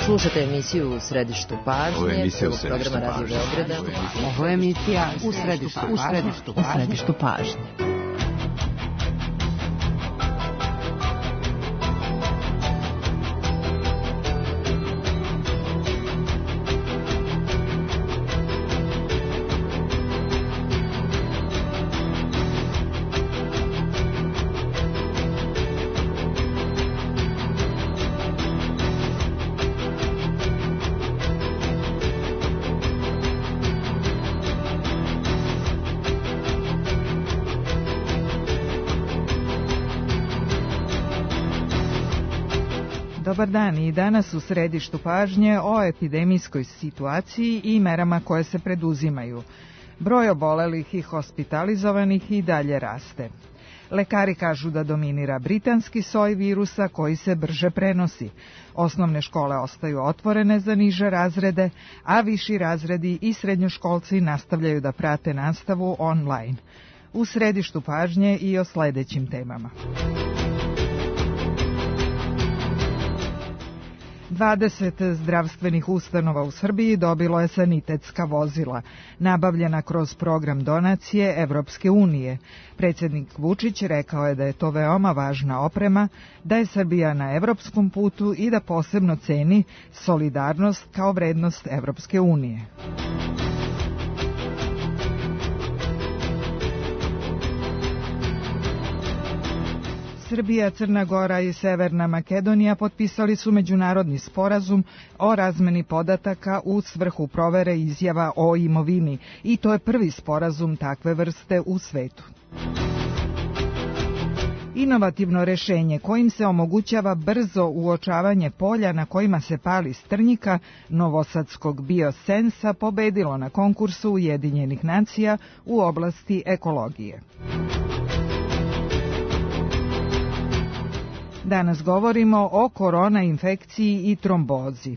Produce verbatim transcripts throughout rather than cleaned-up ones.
Slušate emisiju U središtu pažnje, prvog programa Radio Beograda. Ovo je emisija U središtu pažnje. U središtu pažnje. Dobar dan i danas u središtu pažnje o epidemijskoj situaciji i merama koje se preduzimaju. Broj obolelih i hospitalizovanih i dalje raste. Lekari kažu da dominira britanski soj virusa koji se brže prenosi. Osnovne škole ostaju otvorene za niže razrede, a viši razredi i srednjoškolci nastavljaju da prate nastavu online. U središtu pažnje i o sledećim temama. dvadeset zdravstvenih ustanova u Srbiji dobilo je sanitetska vozila, nabavljena kroz program donacije Evropske unije. Predsjednik Vučić rekao je da je to veoma važna oprema, da je Srbija na evropskom putu i da posebno ceni solidarnost kao vrednost Evropske unije. Srbija, Crna Gora i Severna Makedonija potpisali su međunarodni sporazum o razmeni podataka u svrhu provere izjava o imovini i to je prvi sporazum takve vrste u svetu. Inovativno rešenje kojim se omogućava brzo uočavanje polja na kojima se pali strnjika novosadskog biosensa pobedilo na konkursu Ujedinjenih nacija u oblasti ekologije. Danas govorimo o korona infekciji i trombozi.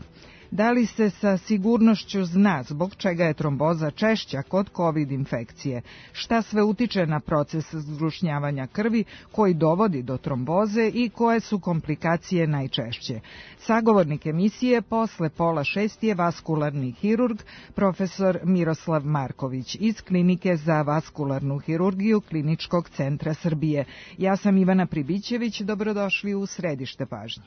Da li se sa sigurnošću zna zbog čega je tromboza češća kod COVID infekcije? Šta sve utiče na proces zgrušnjavanja krvi koji dovodi do tromboze i koje su komplikacije najčešće? Sagovornik emisije posle pola šest je vaskularni hirurg, profesor Miroslav Marković iz Klinike za vaskularnu hirurgiju Kliničkog centra Srbije. Ja sam Ivana Pribićević, dobrodošli u središte pažnje.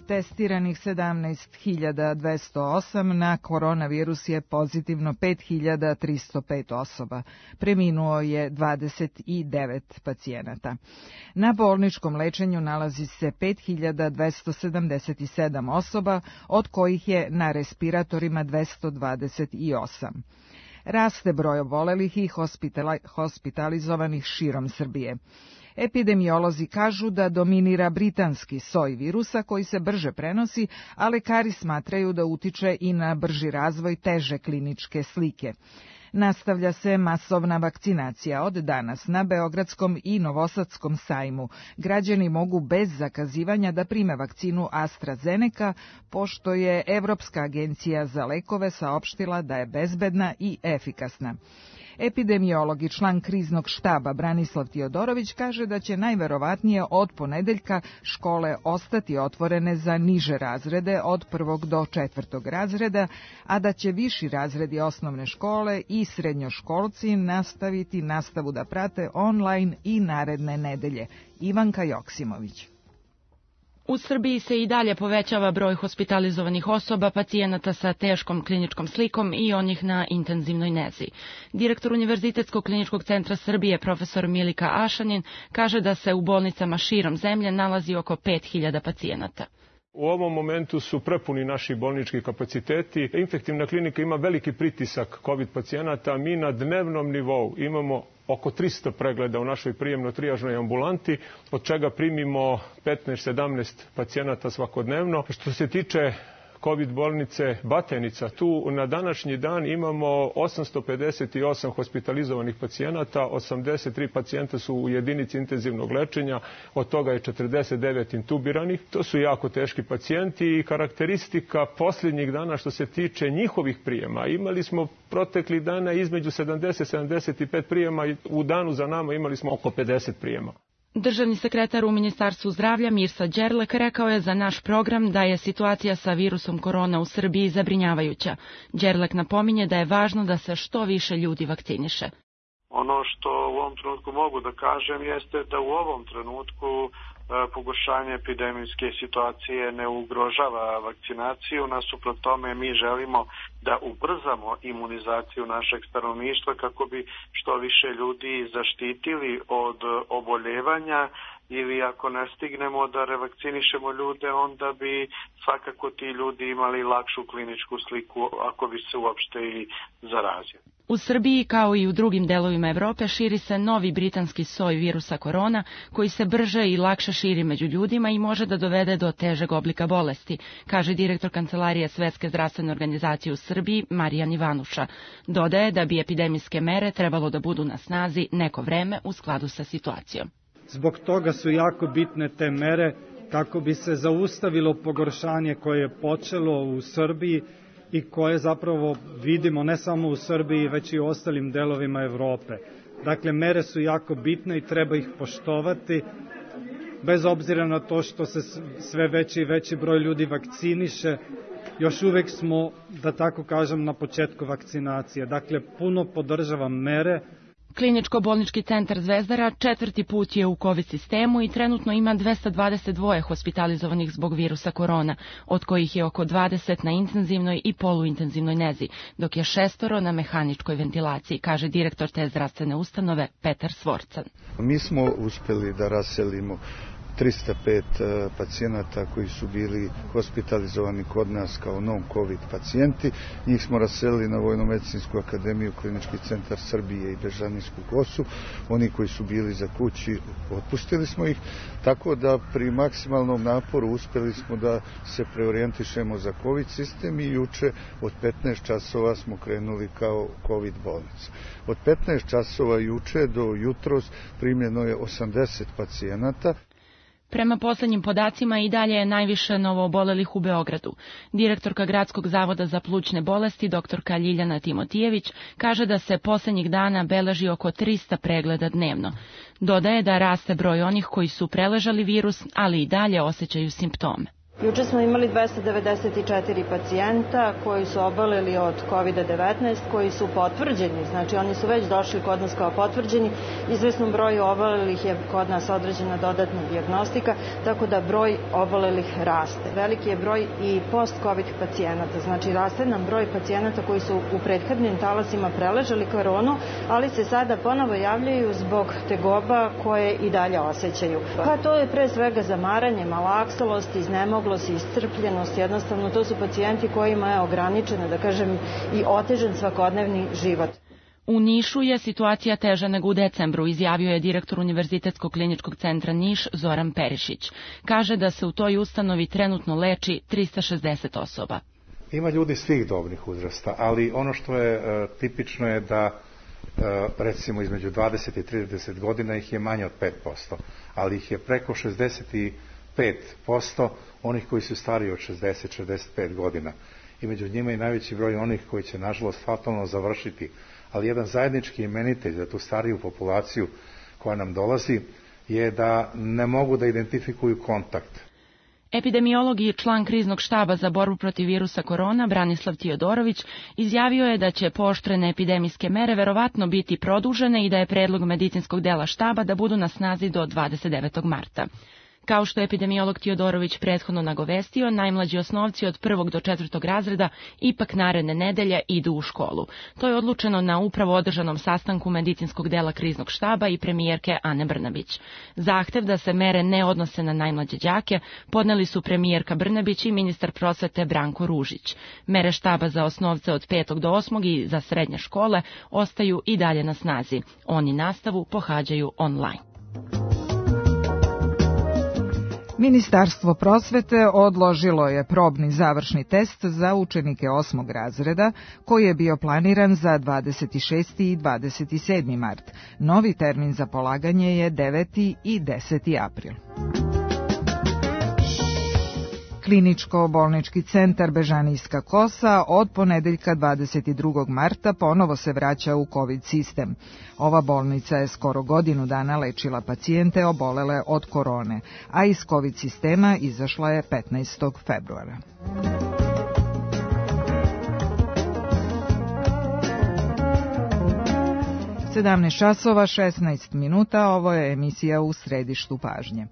Testiranih sedamnaest hiljada dvesta osam, na koronavirus je pozitivno pet hiljada tristo pet osoba. Preminuo je dvadeset devet pacijenata. Na bolničkom lečenju nalazi se pet hiljada dvesta sedamdeset sedam osoba, od kojih je na respiratorima dvesta dvadeset osam. Raste broj obolelih i hospitalizovanih širom Srbije. Epidemiolozi kažu da dominira britanski soj virusa koji se brže prenosi, a lekari smatraju da utiče i na brži razvoj teže kliničke slike. Nastavlja se masovna vakcinacija od danas na Beogradskom i Novosadskom sajmu. Građani mogu bez zakazivanja da prime vakcinu AstraZeneca, pošto je Evropska agencija za lekove saopštila da je bezbedna i efikasna. Epidemiolog i član kriznog štaba Branislav Tiodorović kaže da će najverovatnije od ponedeljka škole ostati otvorene za niže razrede od prvog do četvrtog razreda, a da će viši razredi osnovne škole i srednjoškolci nastaviti nastavu da prate online i naredne nedelje. Ivanka Joksimović. U Srbiji se i dalje povećava broj hospitalizovanih osoba, pacijenata sa teškom kliničkom slikom i onih na intenzivnoj nezi. Direktor Univerzitetskog kliničkog centra Srbije, profesor Milika Ašanin, kaže da se u bolnicama širom zemlje nalazi oko pet hiljada pacijenata. U ovom momentu su prepuni naši bolnički kapaciteti. Infektivna klinika ima veliki pritisak COVID pacijenata. Mi na dnevnom nivou imamo oko trista pregleda u našoj prijemno-trijažnoj ambulanti, od čega primimo petnaest do sedamnaest pacijenata svakodnevno. Što se tiče COVID bolnice Batenica. Tu na današnji dan imamo osamsto pedeset osam hospitalizovanih pacijenata, osamdeset tri pacijenta su u jedinici intenzivnog lečenja, od toga je četrdeset devet intubiranih. To su jako teški pacijenti i karakteristika posljednjih dana što se tiče njihovih prijema. Imali smo proteklih dana između sedamdeset do sedamdeset pet prijema i u danu za nama imali smo oko pedeset prijema. Državni sekretar u Ministarstvu zdravlja Mirsa Đerlek rekao je za naš program da je situacija sa virusom korona u Srbiji zabrinjavajuća. Đerlek napominje da je važno da se što više ljudi vakciniše. Ono što u ovom trenutku mogu da kažem jeste da u ovom trenutku pogoršanje epidemijske situacije ne ugrožava vakcinaciju. Nasuprot tome mi želimo da ubrzamo imunizaciju našeg stanovništva kako bi što više ljudi zaštitili od oboljevanja, ili ako ne stignemo da revakcinišemo ljude, onda bi svakako ti ljudi imali lakšu kliničku sliku ako bi se uopšte i zarazili. U Srbiji, kao i u drugim delovima Evrope, širi se novi britanski soj virusa korona, koji se brže i lakše širi među ljudima i može da dovede do težeg oblika bolesti, kaže direktor Kancelarije Svetske zdravstvene organizacije u Srbiji, Marijan Ivanuša. Dodaje da bi epidemijske mere trebalo da budu na snazi neko vreme u skladu sa situacijom. Zbog toga su jako bitne te mere kako bi se zaustavilo pogoršanje koje je počelo u Srbiji i koje zapravo vidimo ne samo u Srbiji, već i u ostalim delovima Evrope. Dakle, mere su jako bitne i treba ih poštovati, bez obzira na to što se sve veći i veći broj ljudi vakciniše. Još uvek smo, da tako kažem, na početku vakcinacije. Dakle, puno podržavam mere. Kliničko-bolnički centar Zvezdara četvrti put je u COVID sistemu i trenutno ima dvesta dvadeset dva hospitalizovanih zbog virusa korona, od kojih je oko dvadeset na intenzivnoj i poluintenzivnoj nezi, dok je šestoro na mehaničkoj ventilaciji, kaže direktor te zdravstvene ustanove Petar Svorcan. Mi smo uspeli da raselimo trista pet pacijenata koji su bili hospitalizovani kod nas kao non-COVID pacijenti. Njih smo raselili na Vojno-medicinsku akademiju, Klinički centar Srbije i Bežanijsku kosu. Oni koji su bili za kući, otpustili smo ih, tako da pri maksimalnom naporu uspeli smo da se preorijentišemo za COVID sistem i juče od petnaest časova smo krenuli kao COVID bolnica. Od petnaest časova juče do jutros primljeno je osamdeset pacijenata. Prema poslednjim podacima i dalje je najviše novoobolelih u Beogradu. Direktorka Gradskog zavoda za plućne bolesti, doktorka Ljiljana Timotijević, kaže da se poslednjih dana beleži oko trista pregleda dnevno. Dodaje da raste broj onih koji su preležali virus, ali i dalje osjećaju simptome. Juče smo imali dvesta devedeset četiri pacijenta koji su oboleli od kovid devetnaest, koji su potvrđeni, znači oni su već došli kod nas kao potvrđeni. Izvesnom broju obolelih je kod nas određena dodatna dijagnostika, tako da broj obolelih raste. Veliki je broj i post-covid pacijenata, znači raste nam broj pacijenata koji su u prethodnim talasima preležali koronu, ali se sada ponovo javljaju zbog tegoba koje i dalje osjećaju. Pa to je pre svega zamaranje, malaksalost, iznemoglost, iscrpljenost, jednostavno to su pacijenti kojima je ograničeno, da kažem, i otežan svakodnevni život. U Nišu je situacija teža nego u decembru, izjavio je direktor Univerzitetskog kliničkog centra Niš Zoran Perišić. Kaže da se u toj ustanovi trenutno leči trista šezdeset osoba. Ima ljudi svih dobnih uzrasta, ali ono što je e, tipično je da e, recimo između dvadeset i trideset godina ih je manje od pet posto, ali ih je preko šezdeset pet posto onih koji su stariji od šezdeset do šezdeset pet godina. I među njima i najveći broj onih koji će nažalost fatalno završiti. Ali jedan zajednički imenitelj za tu stariju populaciju koja nam dolazi je da ne mogu da identifikuju kontakt. Epidemiolog i član kriznog štaba za borbu protiv virusa korona, Branislav Tijodorović, izjavio je da će pooštrene epidemijske mere verovatno biti produžene i da je predlog medicinskog dela štaba da budu na snazi do dvadeset devetog marta. Kao što je epidemiolog Tijodorović prethodno nagovestio, najmlađi osnovci od prvog do četvrtog razreda ipak naredne nedelje idu u školu. To je odlučeno na upravo održanom sastanku medicinskog dela kriznog štaba i premijerke Ane Brnabić. Zahtev da se mere ne odnose na najmlađe đake podneli su premijerka Brnabić i ministar prosvete Branko Ružić. Mere štaba za osnovce od petog do osmog i za srednje škole ostaju i dalje na snazi. Oni nastavu pohađaju online. Ministarstvo prosvete odložilo je probni završni test za učenike osmog razreda, koji je bio planiran za dvadeset šesti i dvadeset sedmi mart. Novi termin za polaganje je deveti i deseti april. Kliničko-bolnički centar Bežanijska Kosa od ponedeljka dvadeset drugog marta ponovo se vraća u COVID sistem. Ova bolnica je skoro godinu dana lečila pacijente obolele od korone, a iz COVID sistema izašla je petnaestog februara. sedamnaest časova šesnaest minuta, ovo je emisija U središtu pažnje.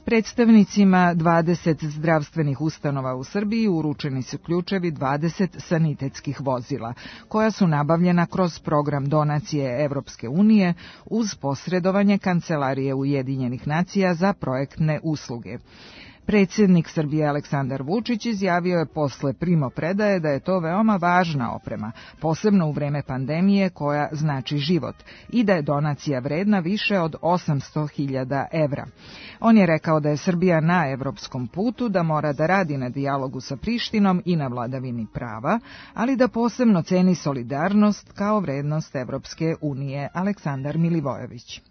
Predstavnicima dvadeset zdravstvenih ustanova u Srbiji uručeni su ključevi dvadeset sanitetskih vozila, koja su nabavljena kroz program donacije Evropske unije uz posredovanje Kancelarije Ujedinjenih nacija za projektne usluge. Predsjednik Srbije Aleksandar Vučić izjavio je posle primopredaje da je to veoma važna oprema, posebno u vreme pandemije koja znači život, i da je donacija vredna više od osamsto hiljada evra. On je rekao da je Srbija na evropskom putu, da mora da radi na dijalogu sa Prištinom i na vladavini prava, ali da posebno ceni solidarnost kao vrednost Evropske unije. Aleksandar Milivojević.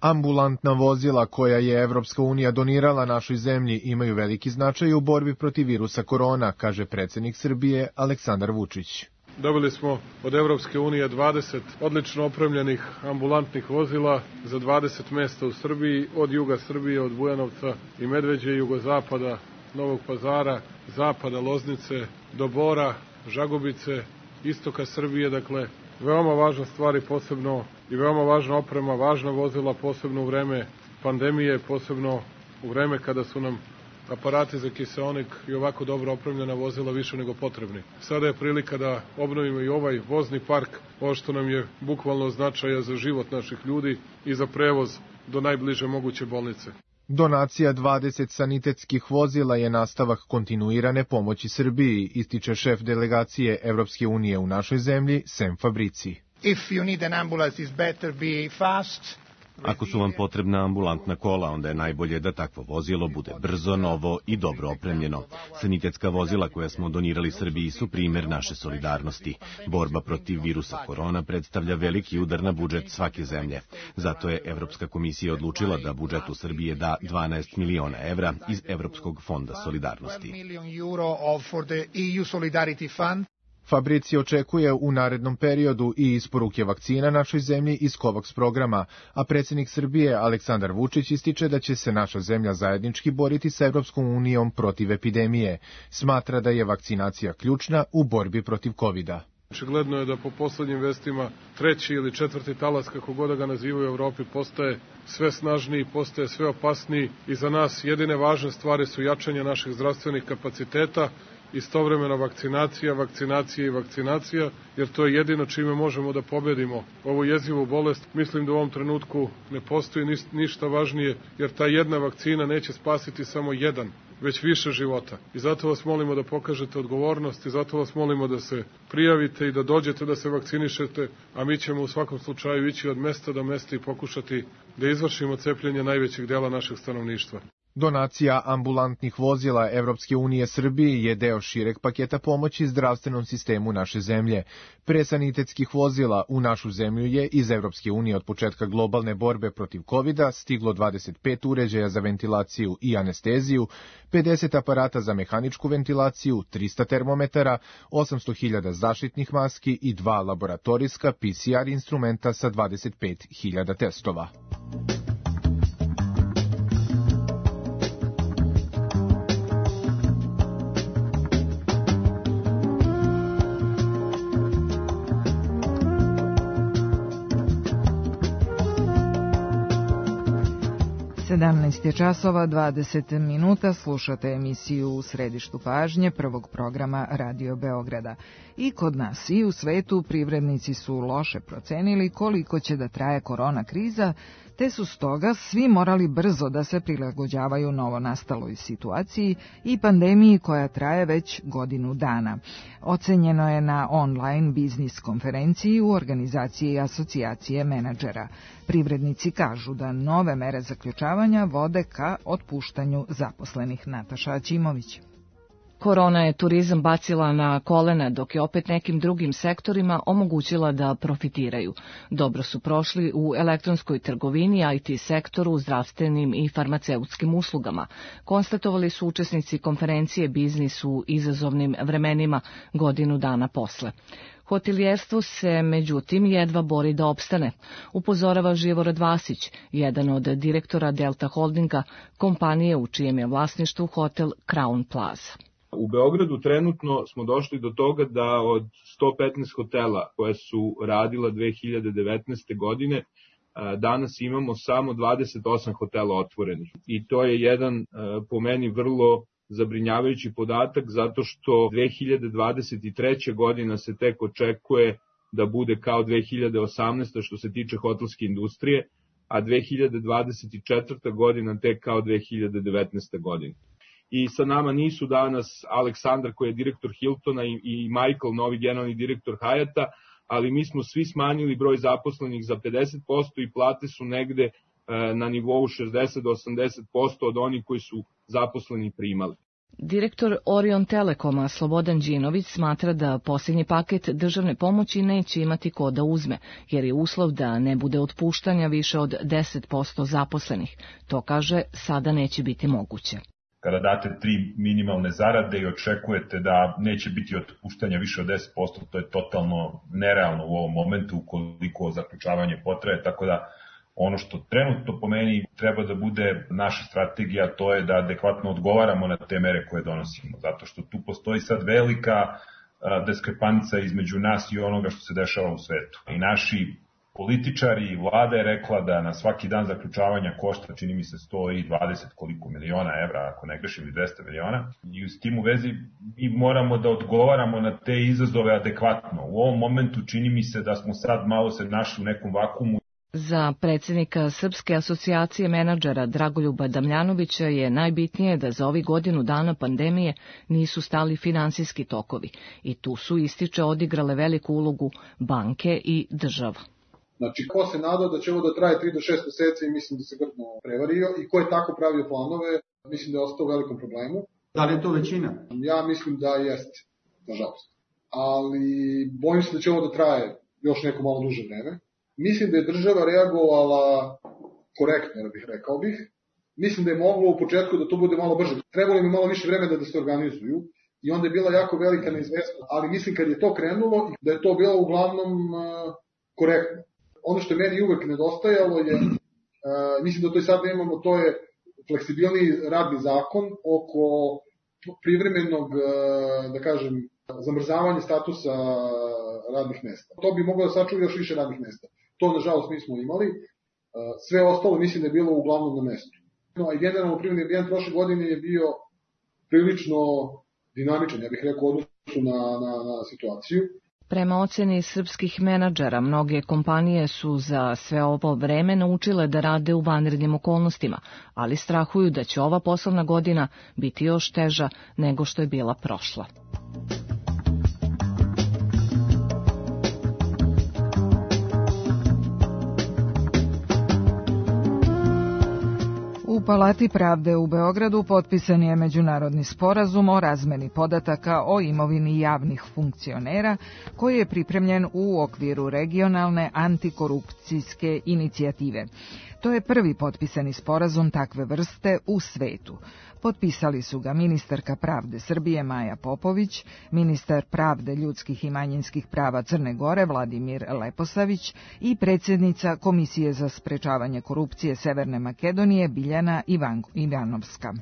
Ambulantna vozila koja je Evropska unija donirala našoj zemlji imaju veliki značaj u borbi protiv virusa korona, kaže predsjednik Srbije Aleksandar Vučić. Dobili smo od Evropske unije dvadeset odlično opremljenih ambulantnih vozila za dvadeset mesta u Srbiji, od juga Srbije, od Bujanovca i Medveđe, jugozapada, Novog Pazara, zapada Loznice, do Bora, Žagubice, istoka Srbije, dakle, veoma važna stvar i posebno i veoma važna oprema, važna vozila, posebno u vreme pandemije, posebno u vreme kada su nam aparati za kiseonik i ovako dobro opremljena vozila više nego potrebni. Sada je prilika da obnovimo i ovaj vozni park, ovo što nam je bukvalno značaja za život naših ljudi i za prevoz do najbliže moguće bolnice. Donacija dvadeset sanitetskih vozila je nastavak kontinuirane pomoći Srbiji, ističe šef delegacije Evropske unije u našoj zemlji, Sem Fabrici. If you need an ambulance, it's better be fast. Ako su vam potrebna ambulantna kola, onda je najbolje da takvo vozilo bude brzo, novo i dobro opremljeno. Sanitetska vozila koja smo donirali Srbiji su primer naše solidarnosti. Borba protiv virusa korona predstavlja veliki udar na budžet svake zemlje. Zato je Evropska komisija odlučila da budžetu Srbije da dvanaest miliona evra iz Evropskog fonda solidarnosti. Fabrici očekuje u narednom periodu i isporuke vakcina našoj zemlji iz COVAX programa, a predsjednik Srbije Aleksandar Vučić ističe da će se naša zemlja zajednički boriti sa Evropskom unijom protiv epidemije. Smatra da je vakcinacija ključna u borbi protiv kovida. Očigledno je da po poslednjim vestima treći ili četvrti talas, kako god da ga nazivaju u Evropi, postaje sve snažniji, postaje sve opasniji i za nas jedine važne stvari su jačanje naših zdravstvenih kapaciteta, istovremena vakcinacija, vakcinacija i vakcinacija, jer to je jedino čime možemo da pobedimo ovu jezivu bolest. Mislim da u ovom trenutku ne postoji ništa važnije, jer ta jedna vakcina neće spasiti samo jedan, već više života. I zato vas molimo da pokažete odgovornost i zato vas molimo da se prijavite i da dođete da se vakcinišete, a mi ćemo u svakom slučaju ići od mesta do mesta i pokušati da izvršimo cepljenje najvećeg dela našeg stanovništva. Donacija ambulantnih vozila Evropske unije Srbiji je deo šireg paketa pomoći zdravstvenom sistemu naše zemlje. Pre sanitetskih vozila u našu zemlju je iz Evropske unije od početka globalne borbe protiv kovida stiglo dvadeset pet uređaja za ventilaciju i anesteziju, pedeset aparata za mehaničku ventilaciju, trista termometara, osamsto hiljada zaštitnih maski i dva laboratorijska P C R instrumenta sa dvadeset pet hiljada testova. sedamnaest je časova dvadeset minuta, slušate emisiju U središtu pažnje prvog programa Radio Beograda. I kod nas i u svetu privrednici su loše procenili koliko će da traje korona kriza, te su stoga svi morali brzo da se prilagođavaju novonastaloj situaciji i pandemiji koja traje već godinu dana. Ocenjeno je na online biznis konferenciji u organizaciji Asocijacije menadžera. Privrednici kažu da nove mere zaključavanja zapošljavanja vode ka otpuštanju zaposlenih. Nataša Ćimović. Korona je turizam bacila na kolena, dok je opet nekim drugim sektorima omogućila da profitiraju. Dobro su prošli u elektronskoj trgovini, I T sektoru, zdravstvenim i farmaceutskim uslugama. Konstatovali su učesnici konferencije Biznis u izazovnim vremenima godinu dana posle. Hotelijerstvo se, međutim, jedva bori da opstane, upozorava Živorad Vasić, jedan od direktora Delta Holdinga, kompanije u čijem je vlasništvu hotel Crown Plaza. U Beogradu trenutno smo došli do toga da od sto petnaest hotela koje su radila dve hiljade devetnaeste. godine, danas imamo samo dvadeset osam hotela otvorenih. I to je jedan, po meni, vrlo zabrinjavajući podatak, zato što dve hiljade dvadeset treća. godina se tek očekuje da bude kao dve hiljade osamnaesta. što se tiče hotelske industrije, a dve hiljade dvadeset četvrta. godina tek kao dve hiljade devetnaesta. godina. I sa nama nisu danas Aleksandar koji je direktor Hiltona i Michael, novi generalni direktor Hyata, ali mi smo svi smanjili broj zaposlenih za pedeset posto i plate su negde na nivou šezdeset do osamdeset posto od onih koji su zaposleni primali. Direktor Orion Telekoma Slobodan Đinović smatra da posljednji paket državne pomoći neće imati ko da uzme, jer je uslov da ne bude otpuštanja više od deset posto zaposlenih. To, kaže, sada neće biti moguće. Kada date tri minimalne zarade i očekujete da neće biti otpuštanja više od deset posto, to je totalno nerealno u ovom momentu ukoliko zaključavanje potraje, tako da ono što trenutno po meni treba da bude naša strategija, to je da adekvatno odgovaramo na te mere koje donosimo, zato što tu postoji sad velika diskrepanca između nas i onoga što se dešava u svetu. I naši političari i vlada je rekla da na svaki dan zaključavanja košta, čini mi se, sto dvadeset koliko miliona evra, ako ne grešim, ili dvesta miliona. I s tim u vezi mi moramo da odgovaramo na te izazove adekvatno. U ovom momentu čini mi se da smo sad malo se našli u nekom vakumu. Za predsjednika Srpske asocijacije menadžera Dragoljuba Damljanovića je najbitnije da za ovih godinu dana pandemije nisu stali finansijski tokovi i tu su, ističe, odigrale veliku ulogu banke i država. Znači, ko se nadao da će ovo da traje tri do šest meseci, mislim da se grdno prevario, i ko je tako pravio planove, mislim da je ostao u velikom problemu. Da li je to većina? Ja mislim da jeste, nažalost. Ali bojim se da će ovo da traje još neko malo duže vreme. Mislim da je država reagovala korektno, da bih rekao bih. Mislim da je moglo u početku da to bude malo brže. Trebalo mi malo više vremena da se organizuju i onda je bila jako velika neizvesnost. Ali mislim kad je to krenulo, da je to bilo uglavnom uh, korektno. Ono što meni uvek nedostajalo je, uh, mislim da to i sad nemamo, to je fleksibilniji radni zakon oko privremenog, uh, da kažem, zamrzavanja statusa radnih mesta. To bi moglo da sačuva još više radnih mesta. To, nažalost, nismo imali. Uh, sve ostalo mislim da je bilo uglavnom na mestu. No, i generalno privredni ambijent prošle godine je bio prilično dinamičan, ja bih rekao, odnosu na, na, na situaciju. Prema oceni srpskih menadžera, mnoge kompanije su za sve ovo vreme naučile da rade u vanrednim okolnostima, ali strahuju da će ova poslovna godina biti još teža nego što je bila prošla. U Palati pravde u Beogradu potpisan je međunarodni sporazum o razmeni podataka o imovini javnih funkcionera koji je pripremljen u okviru regionalne antikorupcijske inicijative. To je prvi potpisani sporazum takve vrste u svetu. Potpisali su ga ministarka pravde Srbije Maja Popović, ministar pravde, ljudskih i manjinskih prava Crne Gore Vladimir Leposavić i predsjednica Komisije za sprečavanje korupcije Severne Makedonije Biljana Ivanovska.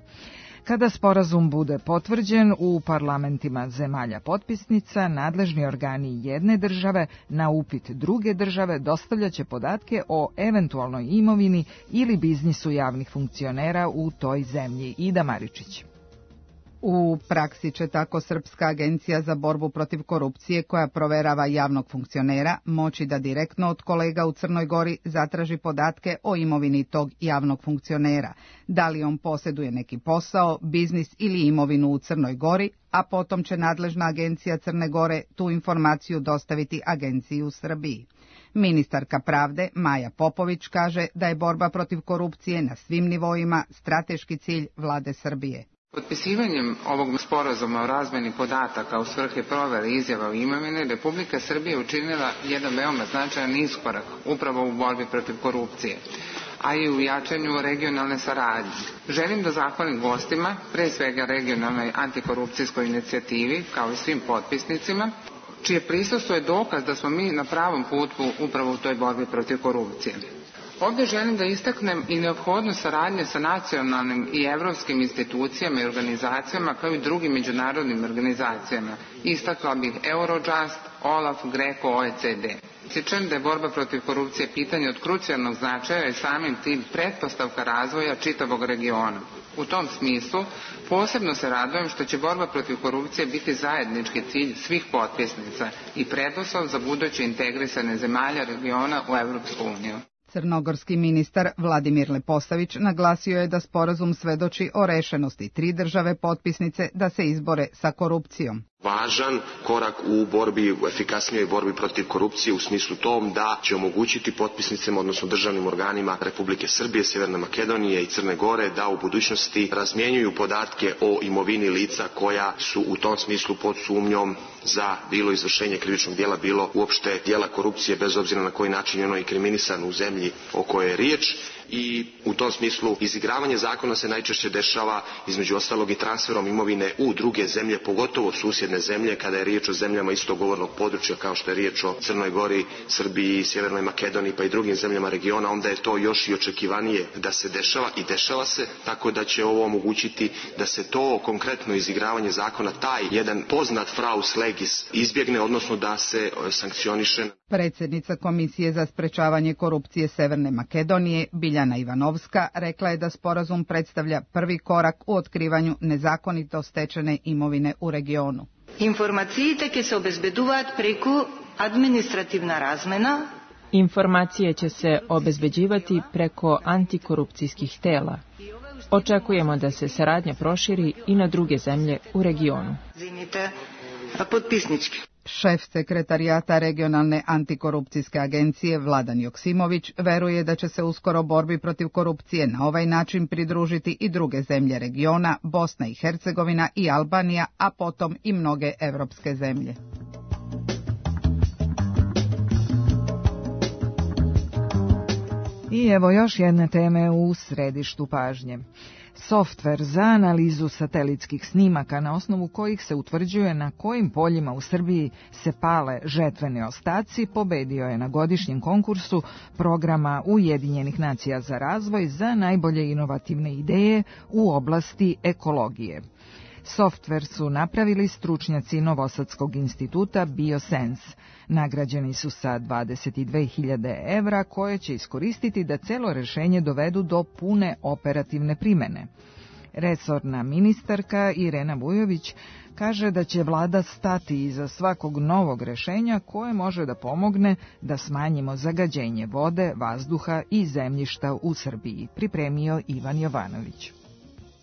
Kada sporazum bude potvrđen u parlamentima zemalja potpisnica, nadležni organi jedne države na upit druge države dostavljaće podatke o eventualnoj imovini ili biznisu javnih funkcionera u toj zemlji. Ida Maričić. U praksi će tako Srpska agencija za borbu protiv korupcije, koja proverava javnog funkcionera, moći da direktno od kolega u Crnoj Gori zatraži podatke o imovini tog javnog funkcionera, da li on posjeduje neki posao, biznis ili imovinu u Crnoj Gori, a potom će nadležna agencija Crne Gore tu informaciju dostaviti agenciji u Srbiji. Ministarka pravde Maja Popović kaže da je borba protiv korupcije na svim nivoima strateški cilj vlade Srbije. Potpisivanjem ovog sporazuma o razmeni podataka u svrhe provere izjava o imovini, Republika Srbija učinila jedan veoma značajan iskorak upravo u borbi protiv korupcije, a i u jačanju regionalne saradnje. Želim da zahvalim gostima, pre svega regionalnoj antikorupcijskoj inicijativi, kao i svim potpisnicima, čije prisustvo je dokaz da smo mi na pravom putu upravo u toj borbi protiv korupcije. Ovdje želim da istaknem i neophodnost saradnje sa nacionalnim i evropskim institucijama i organizacijama kao i drugim međunarodnim organizacijama. Istakla bih Eurojust, OLAF, GRECO, O E C D. Ističem da je borba protiv korupcije pitanje od krucijalnog značaja i samim tim pretpostavka razvoja čitavog regiona. U tom smislu posebno se radujem što će borba protiv korupcije biti zajednički cilj svih potpisnica i preduslov za buduće integrisane zemalja regiona u Evropsku uniju. Crnogorski ministar Vladimir Leposavić naglasio je da sporazum svedoči o rešenosti tri države potpisnice da se izbore sa korupcijom. Važan korak u borbi, u efikasnijoj borbi protiv korupcije u smislu tom da će omogućiti potpisnicama, odnosno državnim organima Republike Srbije, Sjeverne Makedonije i Crne Gore da u budućnosti razmjenjuju podatke o imovini lica koja su u tom smislu pod sumnjom za bilo izvršenje krivičnog djela, bilo uopšte djela korupcije, bez obzira na koji način je ono inkriminisan u zemlji o kojoj je riječ. I u tom smislu izigravanje zakona se najčešće dešava između ostalog i transferom imovine u druge zemlje, pogotovo susjedne zemlje, kada je riječ o zemljama istog govornog područja kao što je riječ o Crnoj Gori, Srbiji, Sjevernoj Makedoniji pa i drugim zemljama regiona, onda je to još i očekivanije da se dešava i dešava se, tako da će ovo omogućiti da se to konkretno izigravanje zakona, taj jedan poznat fraus legis, izbjegne, odnosno da se sankcioniše. Predsjednica Komisije za sprečavanje korupcije Severne Makedonije, Biljana Ivanovska, rekla je da sporazum predstavlja prvi korak u otkrivanju nezakonito stečene imovine u regionu. Informaциите ќе се обезбедуваат преку административна размена. Informacije će se obezbeđivati preko antikorupcijskih tela. Očekujemo da se saradnja proširi i na druge zemlje u regionu. Šef sekretarijata regionalne antikorupcijske agencije Vladan Joksimović veruje da će se uskoro borbi protiv korupcije na ovaj način pridružiti i druge zemlje regiona, Bosna i Hercegovina i Albanija, a potom i mnoge evropske zemlje. I evo još jedne teme u središtu pažnje. Softver za analizu satelitskih snimaka na osnovu kojih se utvrđuje na kojim poljima u Srbiji se pale žetveni ostaci pobedio je na godišnjem konkursu programa Ujedinjenih nacija za razvoj za najbolje inovativne ideje u oblasti ekologije. Softver su napravili stručnjaci Novosadskog instituta BioSense. Nagrađeni su sa dvadeset dve hiljade evra koje će iskoristiti da celo rešenje dovedu do pune operativne primene. Resorna ministarka Irena Vujović kaže da će vlada stati iza svakog novog rešenja koje može da pomogne da smanjimo zagađenje vode, vazduha i zemljišta u Srbiji, pripremio Ivan Jovanović.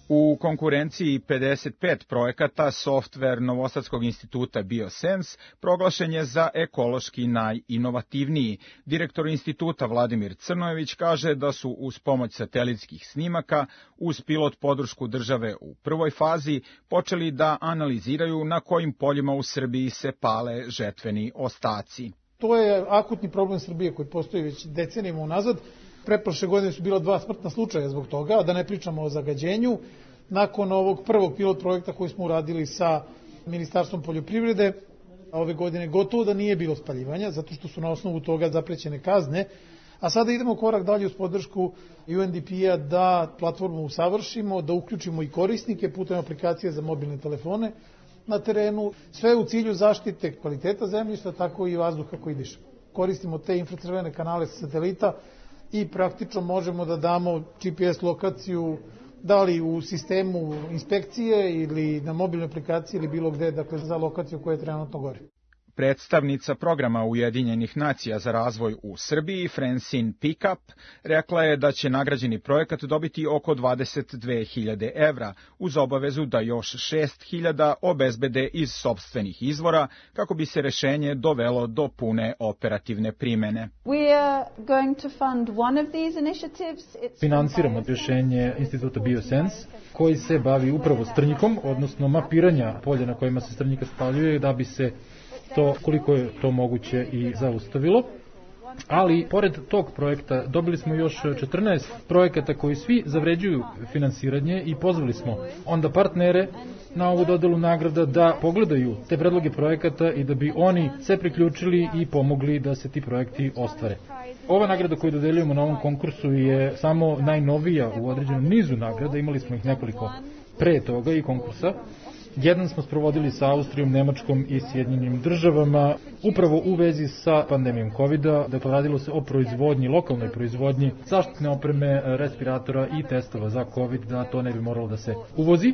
U konkurenciji pedeset pet projekata softver Novosadskog instituta BioSense proglašen je za ekološki najinovativniji. Direktor instituta Vladimir Crnojević kaže da su uz pomoć satelitskih snimaka, uz pilot podršku države u prvoj fazi, počeli da analiziraju na kojim poljima u Srbiji se pale žetveni ostaci. To je akutni problem Srbije koji postoji već decenijama unazad. Pretprošle godine su bila dva smrtna slučaja zbog toga, da ne pričamo o zagađenju. Nakon ovog prvog pilot projekta koji smo uradili sa Ministarstvom poljoprivrede, ove godine gotovo da nije bilo spaljivanja, zato što su na osnovu toga zaprećene kazne. A sada idemo korak dalje uz podršku U N D P-a da platformu usavršimo, da uključimo i korisnike putem aplikacije za mobilne telefone na terenu, sve u cilju zaštite kvaliteta zemljišta, tako i vazduha koji dišemo. Koristimo te infracrvene kanale sa satelita i praktično možemo da damo G P S lokaciju da li u sistemu inspekcije ili na mobilnoj aplikaciji ili bilo gde, dakle za lokaciju koja je trenutno gori. Predstavnica programa Ujedinjenih nacija za razvoj u Srbiji, Francine Pickup, rekla je da će nagrađeni projekat dobiti oko dvadeset dve hiljade evra, uz obavezu da još šest hiljada obezbede iz sopstvenih izvora, kako bi se rešenje dovelo do pune operativne primene. Finansiramo rješenje Instituta Biosense, koji se bavi upravo strnjikom, odnosno mapiranja polja na kojima se strnjika spaljuje, da bi se to, koliko je to moguće, i zaustavilo. Ali, pored tog projekta, dobili smo još četrnaest projekata koji svi zavređuju finansiranje i pozvali smo onda partnere na ovu dodelu nagrada da pogledaju te predloge projekata i da bi oni se priključili i pomogli da se ti projekti ostvare. Ova nagrada koju dodeljujemo na ovom konkursu je samo najnovija u određenom nizu nagrada, imali smo ih nekoliko pre toga i konkursa. Jedan smo sprovodili sa Austrijom, Nemačkom i Sjedinjenim državama, upravo u vezi sa pandemijom kovida. Dakle, radilo se o proizvodnji, lokalnoj proizvodnji zaštitne opreme, respiratora i testova za covid, da to ne bi moralo da se uvozi.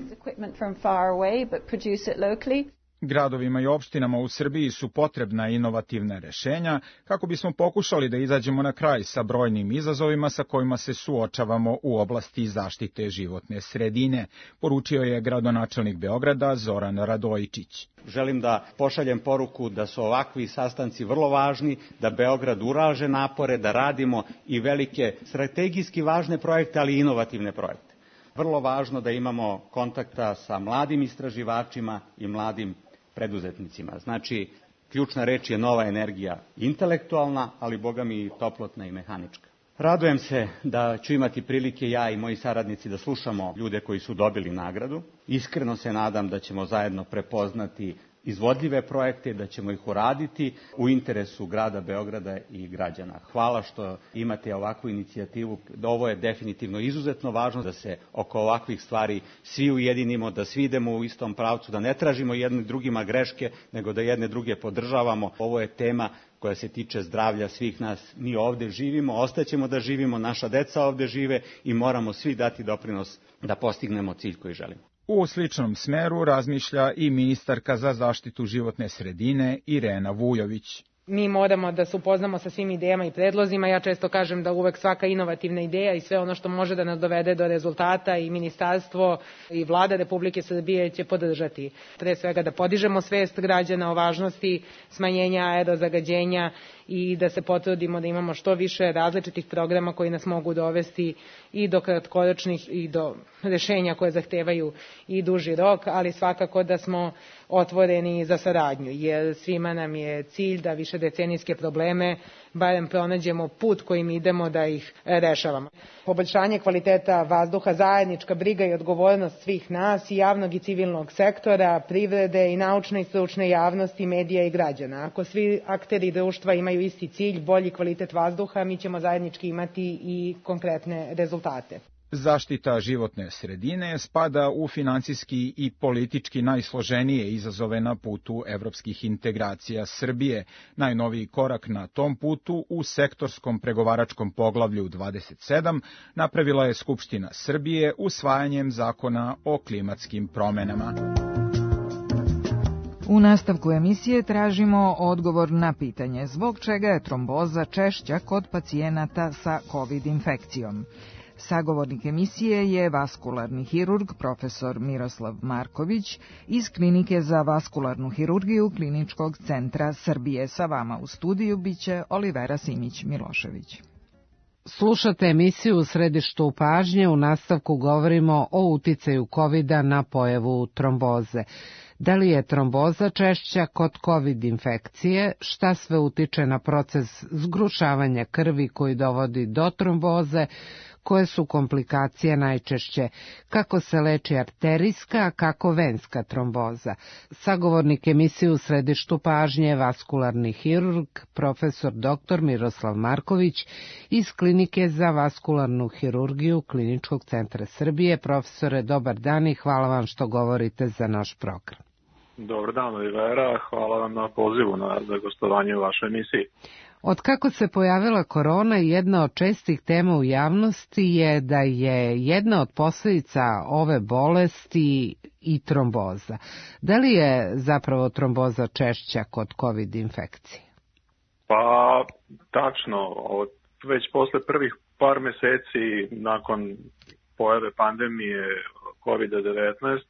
Gradovima i opštinama u Srbiji su potrebna inovativna rešenja kako bismo pokušali da izađemo na kraj sa brojnim izazovima sa kojima se suočavamo u oblasti zaštite životne sredine, poručio je gradonačelnik Beograda Zoran Radojičić. Želim da pošaljem poruku da su ovakvi sastanci vrlo važni, da Beograd ulaže napore, da radimo i velike strategijski važne projekte, ali i inovativne projekte. Vrlo važno da imamo kontakta sa mladim istraživačima i mladim preduzetnicima. Znači, ključna reč je nova energija, intelektualna, ali boga mi i toplotna i mehanička. Radujem se da ću imati prilike ja i moji saradnici da slušamo ljude koji su dobili nagradu. Iskreno se nadam da ćemo zajedno prepoznati izvodljive projekte, da ćemo ih uraditi u interesu grada Beograda i građana. Hvala što imate ovakvu inicijativu. Ovo je definitivno izuzetno važno da se oko ovakvih stvari svi ujedinimo, da svi idemo u istom pravcu, da ne tražimo jedni drugima greške, nego da jedne druge podržavamo. Ovo je tema koja se tiče zdravlja svih nas. Mi ovde živimo, ostaćemo da živimo, naša deca ovde žive i moramo svi dati doprinos da postignemo cilj koji želimo. U sličnom smeru razmišlja i ministarka za zaštitu životne sredine Irena Vujović. Mi moramo da se upoznamo sa svim idejama i predlozima. Ja često kažem da uvek svaka inovativna ideja i sve ono što može da nas dovede do rezultata i ministarstvo i vlada Republike Srbije će podržati. Pre svega da podižemo svest građana o važnosti smanjenja aerozagađenja i da se potrudimo da imamo što više različitih programa koji nas mogu dovesti i do kratkoročnih i do rešenja koje zahtevaju i duži rok, ali svakako da smo otvoreni za saradnju, jer svima nam je cilj da više decenijske probleme barem pronađemo put kojim idemo da ih rešavamo. Poboljšanje kvaliteta vazduha, zajednička briga i odgovornost svih nas i javnog i civilnog sektora, privrede i naučne i stručne javnosti, medija i građana. Ako svi akteri društva imaju isti cilj, bolji kvalitet vazduha, mi ćemo zajednički imati i konkretne rezultate. Zaštita životne sredine spada u finansijski i politički najsloženije izazove na putu evropskih integracija Srbije. Najnoviji korak na tom putu u sektorskom pregovaračkom poglavlju dvadeset sedam napravila je Skupština Srbije usvajanjem zakona o klimatskim promenama. U nastavku emisije tražimo odgovor na pitanje zbog čega je tromboza češća kod pacijenata sa COVID infekcijom. Sagovornik emisije je vaskularni hirurg profesor Miroslav Marković iz Klinike za vaskularnu hirurgiju Kliničkog centra Srbije. Sa vama u studiju biće Olivera Simić-Milošević. Slušate emisiju U središtu pažnje. U nastavku govorimo o uticaju kovida na pojavu tromboze. Da li je tromboza češća kod COVID infekcije? Šta sve utiče na proces zgrušavanja krvi koji dovodi do tromboze? Koje su komplikacije najčešće? Kako se leči arterijska, a kako venska tromboza? Sagovornik emisije U središtu pažnje je vaskularni hirurg, profesor doktor Miroslav Marković iz Klinike za vaskularnu hirurgiju Kliničkog centra Srbije. Profesore, dobar dan i hvala vam što govorite za naš program. Dobar dan, Olivera. Hvala vam na pozivu na za gostovanje u vašoj emisiji. Od kako se pojavila korona, jedna od čestih tema u javnosti je da je jedna od posljedica ove bolesti i tromboza. Da li je zapravo tromboza češća kod COVID infekcije? Pa, tačno. Već posle prvih par meseci nakon pojave pandemije kovid devetnaest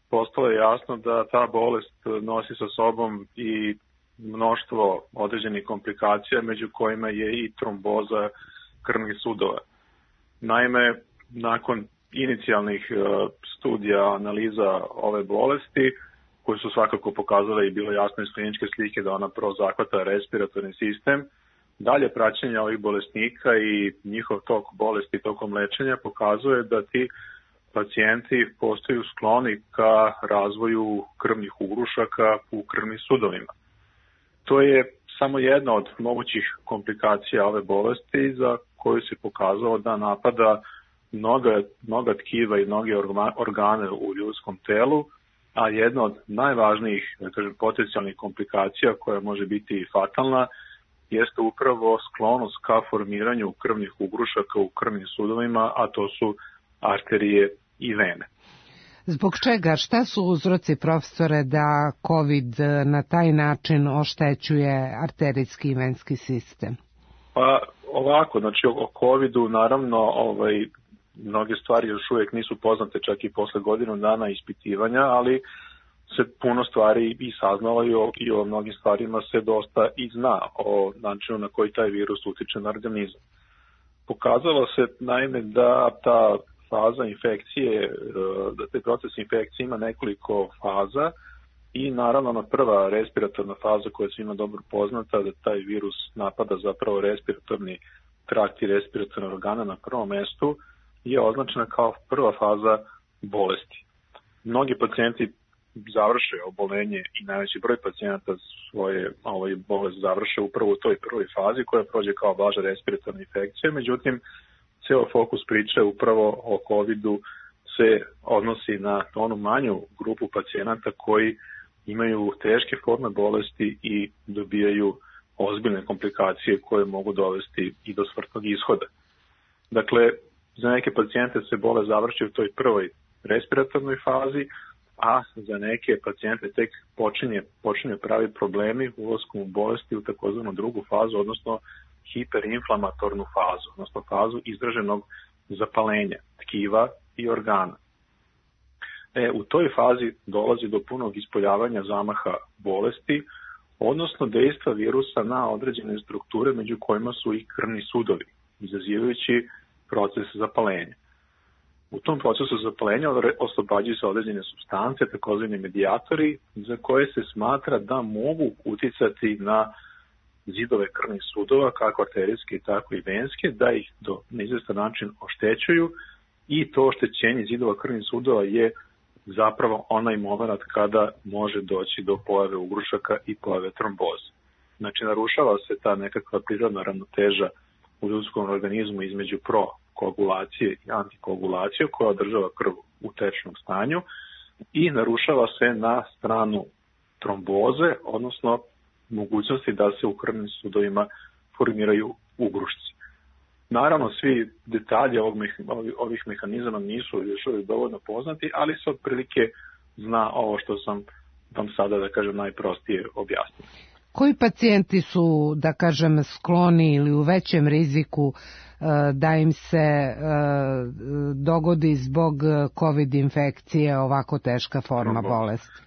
postalo je jasno da ta bolest nosi sa sobom i mnoštvo određenih komplikacija, među kojima je i tromboza krvnih sudova. Naime, nakon inicijalnih studija, analiza ove bolesti, koje su svakako pokazale i bilo jasno iz kliničke slike da ona prvo zahvata respiratorni sistem, dalje praćenje ovih bolesnika i njihov tok bolesti tokom lečenja pokazuje da ti pacijenti postaju skloni ka razvoju krvnih ugrušaka u krvnim sudovima. To je samo jedna od mogućih komplikacija ove bolesti za koju se pokazalo da napada mnoga, mnoga tkiva i mnoge organe u ljudskom telu, a jedna od najvažnijih, da kažem, potencijalnih komplikacija koja može biti i fatalna jeste upravo sklonost ka formiranju krvnih ugrušaka u krvnim sudovima, a to su arterije i vene. Zbog čega? Šta su uzroci, profesore, da COVID na taj način oštećuje arterijski i venski sistem? Pa ovako, znači o covidu naravno ovaj, mnoge stvari još uvijek nisu poznate čak i posle godinu dana ispitivanja, ali se puno stvari i saznalo i o, i o mnogim stvarima se dosta i zna o načinu na koji taj virus utiče na organizam. Pokazalo se naime da ta faza infekcije, da taj proces infekcije ima nekoliko faza i naravno ona prva respiratorna faza koja je svima dobro poznata, da taj virus napada zapravo respiratorni trakt i respiratorne organe na prvom mestu, je označena kao prva faza bolesti. Mnogi pacijenti završe obolenje i najveći broj pacijenata svoje ovaj, bolest završe upravo u toj prvoj fazi koja prođe kao blaža respiratorna infekcija, međutim ceo fokus priče upravo o covidu se odnosi na onu manju grupu pacijenata koji imaju teške forme bolesti i dobijaju ozbiljne komplikacije koje mogu dovesti i do smrtnog ishoda. Dakle, za neke pacijente se bolest završi u toj prvoj respiratornoj fazi, a za neke pacijente tek počinje, počinje pravi problemi ulaskom u bolesti u takozvanu drugu fazu, odnosno hiperinflamatornu fazu, odnosno fazu izraženog zapalenja tkiva i organa. E, u toj fazi dolazi do punog ispoljavanja zamaha bolesti, odnosno dejstva virusa na određene strukture među kojima su i krvni sudovi, izazivajući proces zapalenja. U tom procesu zapalenja oslobađaju se određene supstance, takozvani medijatori, za koje se smatra da mogu uticati na zidove krvnih sudova, kako arterijske, tako i venske, da ih do neizvestan način oštećuju i to oštećenje zidova krvnih sudova je zapravo onaj moment kada može doći do pojave ugrušaka i pojave tromboze. Znači, narušava se ta nekakva prirodna ravnoteža u ljudskom organizmu između prokoagulacije i antikoagulacije koja održava krv u tečnom stanju i narušava se na stranu tromboze, odnosno mogućnosti da se u krvnim sudovima formiraju ugrušci. Naravno, svi detalji ovog, ovih mehanizama nisu još uvijek dovoljno poznati, ali se otprilike zna ovo što sam vam sada, da kažem, najprostije objasnio. Koji pacijenti su, da kažem, skloni ili u većem riziku da im se dogodi zbog COVID infekcije ovako teška forma bolesti?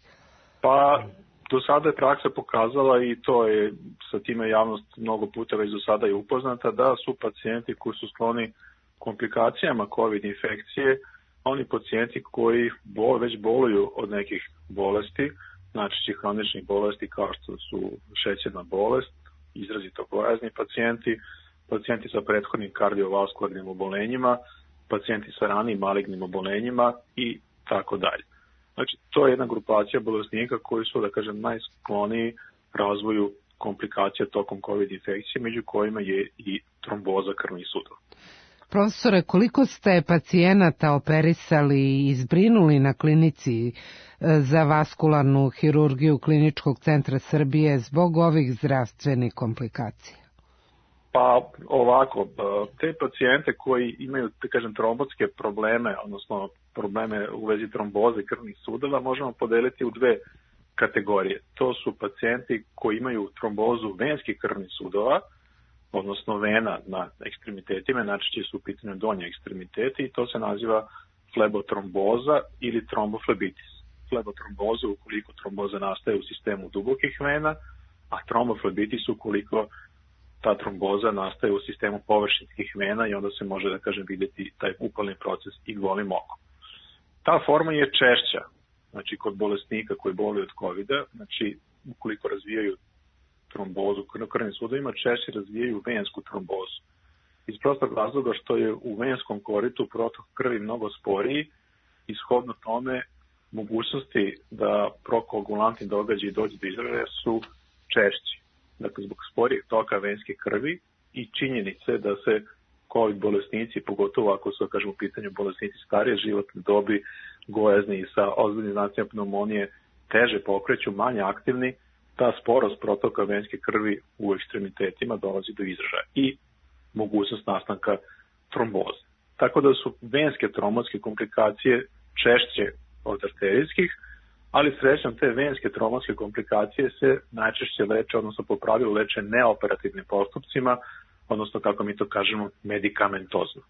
Pa, do sada je praksa pokazala i to je sa time javnost mnogo puta već do sada je upoznata da su pacijenti koji su skloni komplikacijama COVID infekcije, oni pacijenti koji bol, već boluju od nekih bolesti, znači hroničnih bolesti kao što su šećerna bolest, izrazito gojazni pacijenti, pacijenti sa prethodnim kardiovaskularnim obolenjima, pacijenti sa ranijim malignim obolenjima i tako dalje. Znači, to je jedna grupacija bolesnika koji su, da kažem, najskloniji razvoju komplikacija tokom COVID infekcije, među kojima je i tromboza krvnih sudova. Profesore, koliko ste pacijenata operisali i izbrinuli na klinici za vaskularnu hirurgiju Kliničkog centra Srbije zbog ovih zdravstvenih komplikacija? Pa ovako, te pacijente koji imaju, da kažem, trombotske probleme, odnosno probleme u vezi tromboze krvnih sudova, možemo podeliti u dve kategorije. To su pacijenti koji imaju trombozu venskih krvnih sudova, odnosno vena na ekstremitetima, najčešće su u pitanju donje ekstremiteti i to se naziva flebotromboza ili tromboflebitis. Flebotromboza ukoliko tromboza nastaje u sistemu dubokih vena, a tromboflebitis ukoliko ta tromboza nastaje u sistemu površinskih vena i onda se može, da kažem, vidjeti taj upalni proces i golim okom. Ta forma je češća, znači kod bolesnika koji boluju od kovida, znači ukoliko razvijaju trombozu na krvnim sudovima, češće razvijaju vensku trombozu. Iz prostog razloga što je u venskom koritu protok krvi mnogo sporiji i shodno tome mogućnosti da prokoagulantni događaji dođe do izražaja su češći. Dakle, zbog sporijeg toka venske krvi i činjenice da se COVID bolesnici, pogotovo ako su, kažem, u pitanju bolesnici starije životne dobi, gojazni i sa ozbiljnim znacima pneumonije, teže pokreću, manje aktivni, ta sporost protoka venske krvi u ekstremitetima dolazi do izražaja i mogućnost nastanka tromboze. Tako da su venske trombotske komplikacije češće od arterijskih, ali srećom te venske trombotske komplikacije se najčešće leče, odnosno po pravilu leče neoperativnim postupcima, odnosno kako mi to kažemo medikamentozno.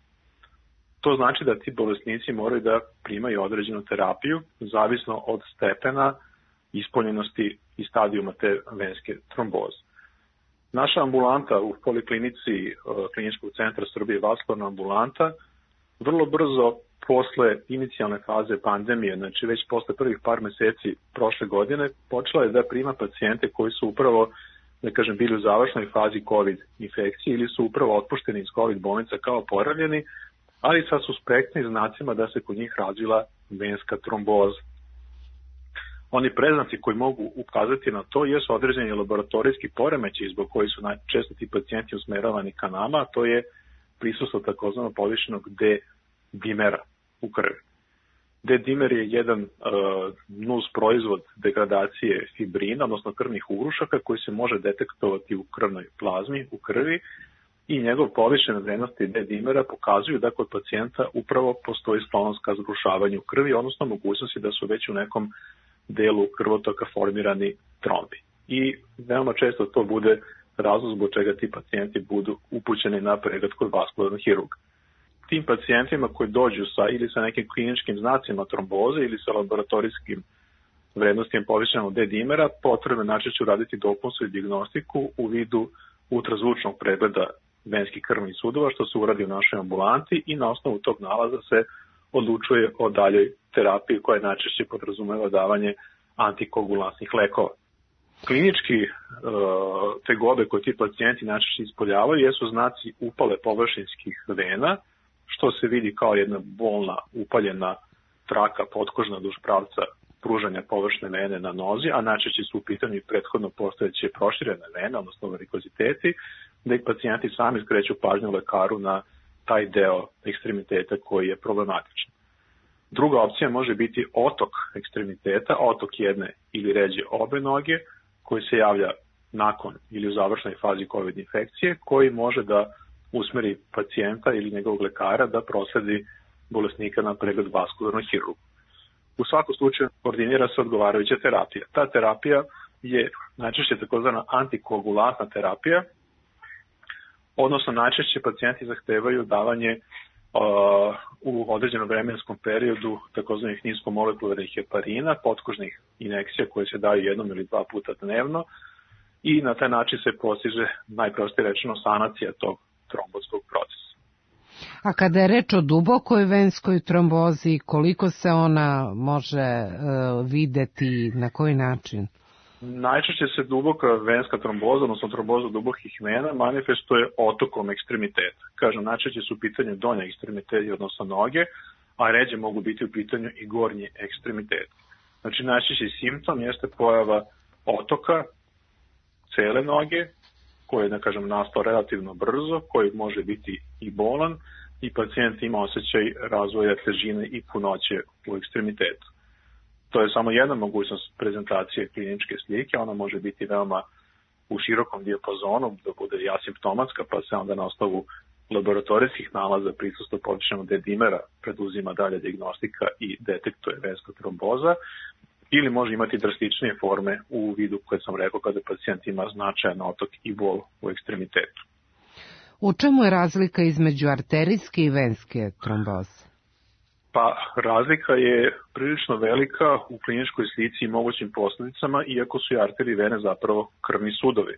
To znači da ti bolesnici moraju da primaju određenu terapiju, zavisno od stepena ispolnjenosti i stadijuma te venske tromboze. Naša ambulanta u poliklinici Kliničkog centra Srbije, vaskularna ambulanta, vrlo brzo posle inicijalne faze pandemije, znači već posle prvih par meseci prošle godine, počela je da prima pacijente koji su upravo, da kažem, bili u završnoj fazi COVID infekcije ili su upravo otpušteni iz COVID bolnica kao oporavljeni, ali sa suspektnim znacima da se kod njih razvila venska tromboza. Oni preznaci koji mogu ukazati na to jesu određeni laboratorijski poremećaji zbog koji su najčešće ti pacijenti usmeravani ka nama, a to je prisustvo takozvano povišenog D-dimera u krvi. D-dimer je jedan uh, nus proizvod degradacije fibrina, odnosno krvnih ugrušaka koji se može detektovati u krvnoj plazmi, u krvi, i njegov povišene vrednosti D-dimera pokazuju da kod pacijenta upravo postoji sklonost ka zgrušavanju krvi, odnosno mogućnosti da su već u nekom delu krvotoka formirani trombi. I veoma često to bude razlog zbog čega ti pacijenti budu upućeni na pregled kod vaskularnog hirurga. Tim pacijentima koji dođu sa ili sa nekim kliničkim znacima tromboze ili sa laboratorijskim vrednostima povišenog D-dimera, potrebno najčešće uraditi dopunsku dijagnostiku u vidu ultrazvučnog pregleda venskih krvnih sudova, što se uradi u našoj ambulanti, i na osnovu tog nalaza se odlučuje o daljoj terapiji koja najčešće podrazumeva davanje antikoagulantnih lekova. Klinički e, tegobe koje ti pacijenti najčešće ispoljavaju jesu znaci upale površinskih vena, što se vidi kao jedna bolna upaljena traka potkožna duž pravca pružanja površne vene na nozi, a najčešće su u pitanju i prethodno postojeće proširene vene, odnosno varikoziteti, da ih pacijenti sami skreću pažnju lekaru na taj deo ekstremiteta koji je problematičan. Druga opcija može biti otok ekstremiteta, otok jedne ili ređe obe noge, koji se javlja nakon ili u završnoj fazi COVID infekcije, koji može da usmeri pacijenta ili njegovog lekara da prosledi bolesnika na pregled vaskularnog hirurga. U svakom slučaju koordinira se odgovarajuća terapija. Ta terapija je najčešće takozvana antikoagulantna terapija, odnosno najčešće pacijenti zahtevaju davanje uh, u određenom vremenskom periodu takozvanih niskomolekularnih heparina, potkožnih injekcija koje se daju jednom ili dva puta dnevno, i na taj način se postiže, najprostije rečeno, sanacija tog trombotskog procesa. A kada je reč o dubokoj venskoj trombozi, koliko se ona može uh, videti, na koji način? Najčešće se duboka venska tromboza, odnosno tromboza dubokih vena, manifestuje otokom ekstremiteta. Kažem, najčešće su u pitanju donje ekstremiteti, odnosno noge, a ređe mogu biti u pitanju i gornji ekstremiteti. Znači, najčešći simptom jeste pojava otoka cele noge, koji je, da kažem, nastao relativno brzo, koji može biti i bolan, i pacijent ima osjećaj razvoja težine i punoće u ekstremitetu. To je samo jedna mogućnost prezentacije kliničke slike, ona može biti veoma u širokom dijapazonu, da bude i asimptomatska, pa se onda na osnovu laboratorijskih nalaza prisustva povišenog D-dimera preduzima dalje dijagnostika i detektuje venska tromboza, ili može imati drastičnije forme u vidu koje sam rekao kada pacijent ima značajan otok i bol u ekstremitetu. U čemu je razlika između arterijske i venske tromboze? Pa razlika je prilično velika u kliničkoj slici i mogućim posljedicama, iako su i arterije i vene zapravo krvni sudovi.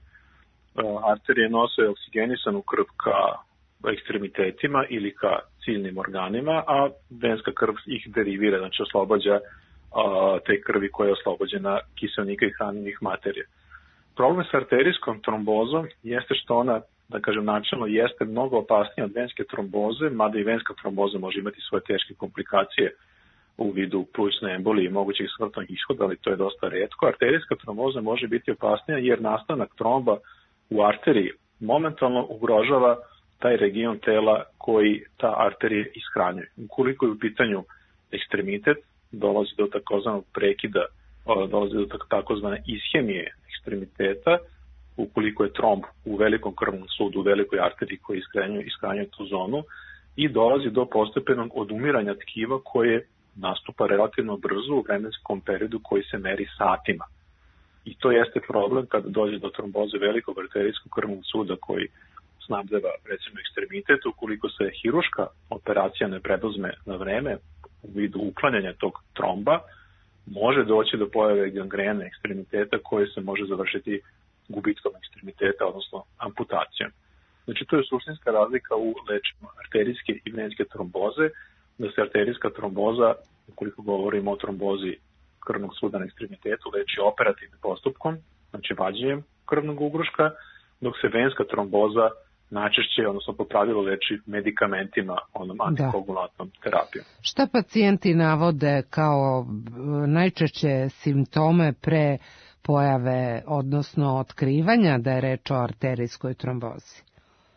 Arterije nose oksigenisanu krv ka ekstremitetima ili ka ciljnim organima, a venska krv ih derivira, znači oslobađa a, te krvi koja je oslobođena kiselnika i hranjivih materija. Problem sa arterijskom trombozom jeste što ona, da kažem načelno, jeste mnogo opasnija od venske tromboze, mada i venska tromboza može imati svoje teške komplikacije u vidu plućne embolije i mogućih smrtnog ishoda, ali to je dosta retko. Arterijska tromboza može biti opasnija jer nastanak tromba u arteriji momentalno ugrožava taj region tela koji ta arterija ishranjuje. Ukoliko je u pitanju ekstremitet, dolazi do takozvanog prekida, dolazi do takozvane ishemije ekstremiteta, ukoliko je tromb u velikom krvnom sudu, u velikoj arteriji koji ishranjuje, ishranjuje tu zonu, i dolazi do postepenog odumiranja tkiva koje nastupa relativno brzo u vremenskom periodu koji se meri satima. I to jeste problem kada dođe do tromboze velikog arterijskog krvnog suda koji snabdeva recimo ekstremitet. Ukoliko se hiruška operacija ne preduzme na vreme u vidu uklanjanja tog tromba, može doći do pojave gangrene ekstremiteta koje se može završiti gubitkom ekstremiteta, odnosno amputacijom. Znači, to je suštinska razlika u lečenju arterijske i venske tromboze, da se arterijska tromboza, ukoliko govorimo o trombozi krvnog suda na ekstremitetu, leči operativnim postupkom, znači vađenjem krvnog ugruška, dok se venska tromboza najčešće, odnosno po pravilu, leči medikamentima, onom antikoagulantnom terapijom. Šta pacijenti navode kao najčešće simptome pre pojave, odnosno otkrivanja da je reč o arterijskoj trombozi?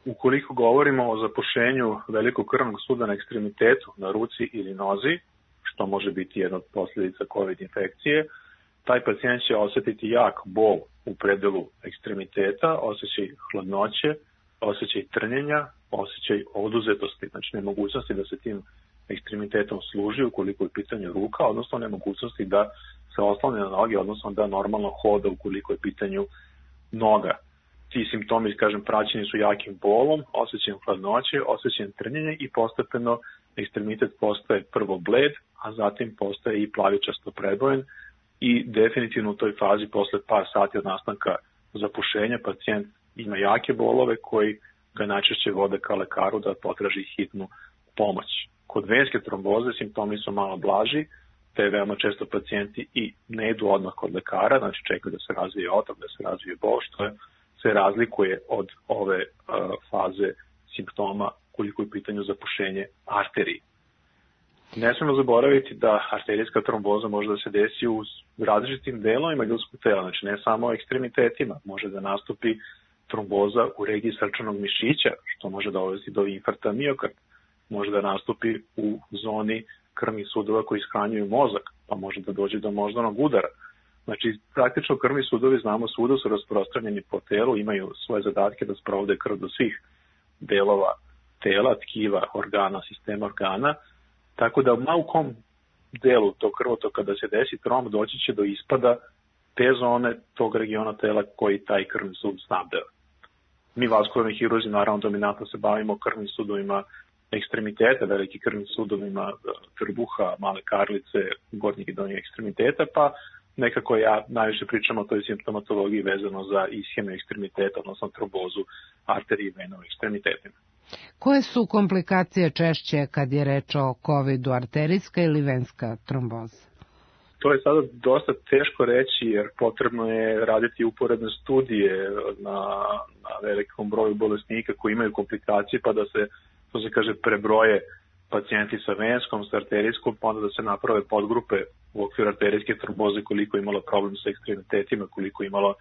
Ukoliko govorimo o zapušenju velikog krvnog suda na ekstremitetu, na ruci ili nozi, što može biti jedna od posljedica COVID infekcije, taj pacijent će osjetiti jak bol u predelu ekstremiteta, osjećaj hladnoće, osjećaj trnjenja, osjećaj oduzetosti, znači nemogućnosti da se tim ekstremitetom služi ukoliko je u pitanju ruka, odnosno nemogućnosti da se oslone na noge, odnosno da normalno hoda ukoliko je u pitanju noga. Ti simptomi, kažem, praćeni su jakim bolom, osjećajem hladnoće, osjećajem trnjenja i postepeno ekstremitet postaje prvo bled, a zatim postaje i plavičasto prebojen i definitivno u toj fazi posle par sati od nastanka zapušenja pacijent ima jake bolove koji ga najčešće vode ka lekaru da potraži hitnu pomoć. Kod venske tromboze simptomi su malo blaži, te veoma često pacijenti i ne idu odmah kod lekara, znači čekaju da se razvije otok, da se razvije bol, što je, se razlikuje od ove uh, faze simptoma koliko je u pitanju zapušenje arteriji. Ne smemo zaboraviti da arterijska tromboza može da se desi u različitim delovima ljudskog tela, znači ne samo ekstremitetima, može da nastupi tromboza u regiji srčanog mišića, što može dovesti do infarkta miokarda, može da nastupi u zoni krvnih sudova koji ishranjuju mozak, pa može da dođe do moždanog udara. Znači, praktično krvni sudovi, znamo, svuda su rasprostranjeni po telu, imaju svoje zadatke da sprovode krv do svih delova tela, tkiva, organa, sistema organa, tako da u kom delu tog krvotoka da se desi tromb, doći će do ispada te zone tog regiona tela koji taj krvni sud snabdeva. Mi vaskularni hirurzi naravno dominantno se bavimo krvnim sudovima ekstremiteta, veliki krvnim sudovima trbuha, male karlice, gornjeg i donjeg ekstremiteta, pa nekako ja najviše pričam o toj simptomatologiji vezano za ishemiju ekstremiteta, odnosno trombozu arterije i vena u ekstremitetima. Koje su komplikacije češće kad je reč o covidu, arterijska ili venska tromboza? To je sada dosta teško reći jer potrebno je raditi uporedne studije na, na velikom broju bolesnika koji imaju komplikacije, pa da se, to se kaže, prebroje pacijenti sa venskom, sa arterijskom, pa onda da se naprave podgrupe u okviru arterijske tromboze koliko je imalo problem sa ekstremitetima, koliko je imalo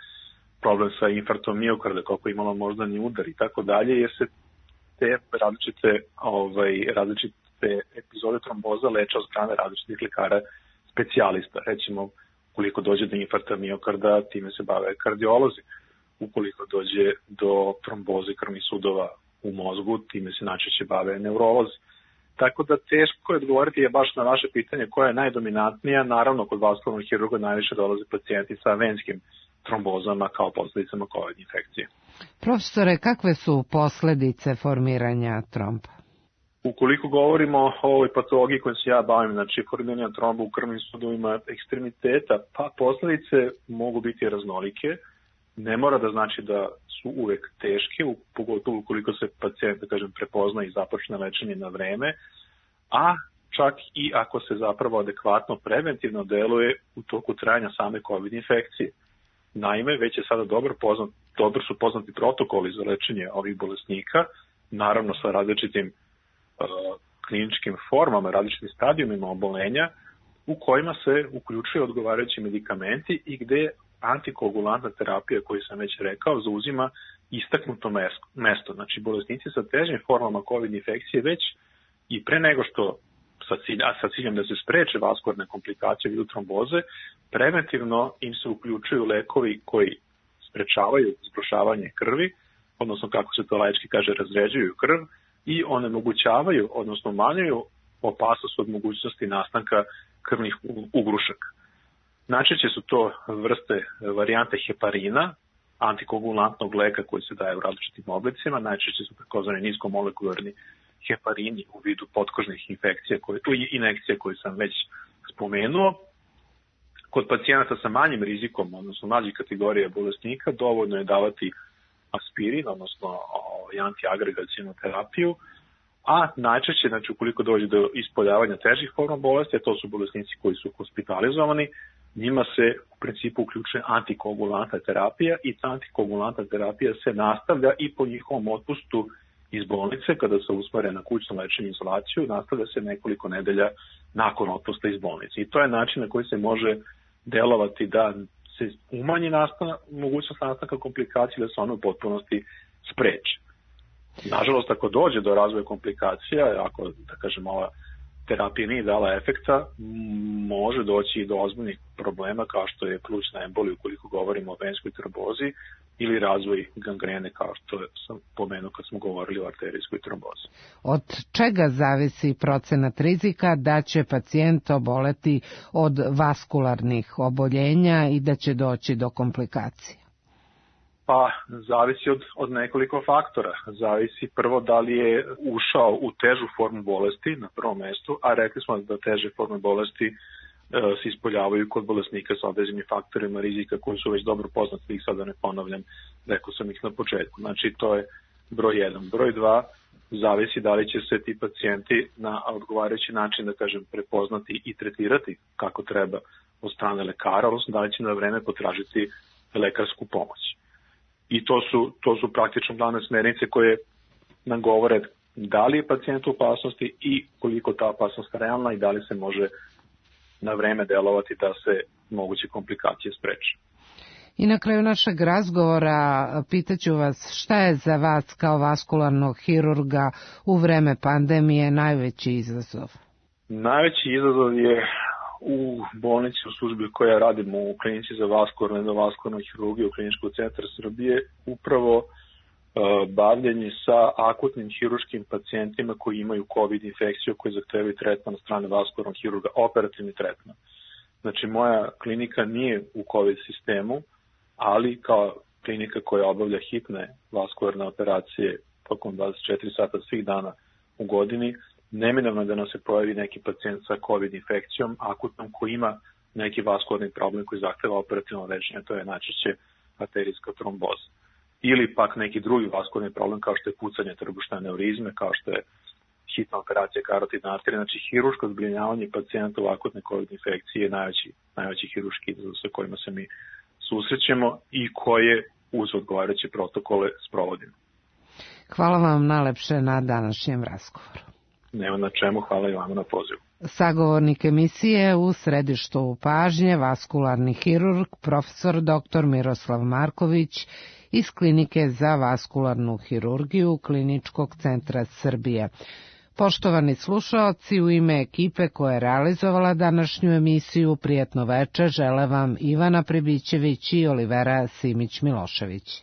problem sa infarktom miokarda, koliko je imalo moždani udar i tako dalje, jer se te različite, ovaj, različite epizode tromboza leče od strane različitih lekara specijalista. Recimo, koliko dođe do infarkta miokarda, time se bave kardiolozi. ukoliko dođe do tromboze krvnih sudova u mozgu, time se najčešće bave neurolozi. Tako da teško je odgovoriti je baš na vaše pitanje koja je najdominantnija. Naravno, kod vaskularnog hirurga najviše dolaze pacijenti sa venskim trombozama kao posledicama COVID infekcije. Profesore, kakve su posledice formiranja tromba? Ukoliko govorimo o ovoj patologiji kojom se ja bavim, znači formiranja tromba u krvnim sudovima ekstremiteta, pa posledice mogu biti raznolike. Ne mora da znači da su uvek teške, pogotovo ukoliko se pacijent, da kažem, prepozna i započne lečenje na vreme, a čak i ako se zapravo adekvatno preventivno deluje u toku trajanja same COVID infekcije. Naime, već je sada dobro, poznat, dobro su poznati protokoli za lečenje ovih bolesnika, naravno sa različitim uh, kliničkim formama, različitim stadijumima obolenja, u kojima se uključuju odgovarajući medikamenti i gde antikoagulantna terapija, koju sam već rekao, zauzima istaknuto mesto. Znači, bolesnici sa težim formama COVID infekcije već i pre nego što sa, cilj, a sa ciljem da se spreče vaskularne komplikacije u vidu tromboze, preventivno im se uključuju lekovi koji sprečavaju zgrušavanje krvi, odnosno kako se to laički kaže, razređuju krv i onemogućavaju, odnosno umanjuju opasnost od mogućnosti nastanka krvnih ugrušaka. Najčešće su to vrste varijante heparina, antikoagulantnog leka koji se daje u različitim oblicima, najčešće su takozvani niskomolekularni heparini u vidu potkožnih infekcija koje, i inekcija koje sam već spomenuo. Kod pacijenata sa manjim rizikom, odnosno mlađih kategorija bolesnika, dovoljno je davati aspirin, odnosno antiagregacijnu terapiju, a najčešće, znači ukoliko dođe do ispoljavanja težih forma bolesti, a to su bolesnici koji su hospitalizovani, njima se u principu uključuje antikoagulantna terapija i ta antikoagulantna terapija se nastavlja i po njihovom otpustu iz bolnice, kada se usmere na kućno lečenje i izolaciju, nastavlja se nekoliko nedelja nakon otpusta iz bolnice. I to je način na koji se može delovati da se umanji nastana, mogućnost nastanka komplikacija, da se ono u potpunosti spreče. Nažalost, ako dođe do razvoja komplikacija, ako, da kažem, ova terapija nije dala efekta, može doći i do ozbiljnih problema kao što je plućna embolija ukoliko govorimo o venskoj trombozi ili razvoj gangrene kao što sam pomenuo kad smo govorili o arterijskoj trombozi. Od čega zavisi procenat rizika da će pacijent oboleti od vaskularnih oboljenja i da će doći do komplikacija? Pa, zavisi od, od nekoliko faktora. Zavisi prvo da li je ušao u težu formu bolesti na prvom mestu, a rekli smo da teže forme bolesti e, se ispoljavaju kod bolesnika sa određenim faktorima rizika koji su već dobro poznati, ih sada ne ponavljam, rekao sam ih na početku. Znači, to je broj jedan. Broj dva, zavisi da li će se ti pacijenti na odgovarajući način, da kažem, prepoznati i tretirati kako treba od strane lekara, odnosno da li će na vreme potražiti lekarsku pomoć. I to su, to su praktično glavne smernice koje nam govore da li je pacijent u opasnosti i koliko ta opasnost realna i da li se može na vreme delovati da se moguće komplikacije spreče. I na kraju našeg razgovora pitaću vas šta je za vas kao vaskularnog hirurga u vreme pandemije najveći izazov? Najveći izazov je u bolnici u službi koja radimo u klinici za vaskularnu i endovaskularnu hirurgiju u Kliničkog centra Srbije upravo uh, bavljenje sa akutnim hirurškim pacijentima koji imaju COVID infekciju koji zahtevaju tretman od strane vaskularnog hirurga, operativni tretman. Znači moja klinika nije u COVID sistemu, ali kao klinika koja obavlja hitne vaskularne operacije tokom dvadeset četiri sata svih dana u godini, neminovno da nam se pojavi neki pacijent sa COVID infekcijom, akutnom, koji ima neki vaskularni problem koji zahteva operativno lečenje, to je najčešće arterijska tromboza. Ili pak neki drugi vaskularni problem kao što je pucanje trbušne aneurizme, kao što je hitna operacija karotidne arterije. Znači, hirurško zbrinjavanje pacijenta u akutne COVID infekcije je najveći, najveći hirurški izazov sa kojima se mi susrećemo i koje uz odgovarajuće protokole sprovodimo. Hvala vam najlepše na današnjem razgovoru. Nema na čemu, hvala i vama na pozivu. Sagovornik emisije u središtu pažnje vaskularni hirurg profesor doktor Miroslav Marković iz Klinike za vaskularnu hirurgiju Kliničkog centra Srbije. Poštovani slušaoci, u ime ekipe koja je realizovala današnju emisiju Prijetno veče žele vam Ivana Pribićević i Olivera Simić-Milošević.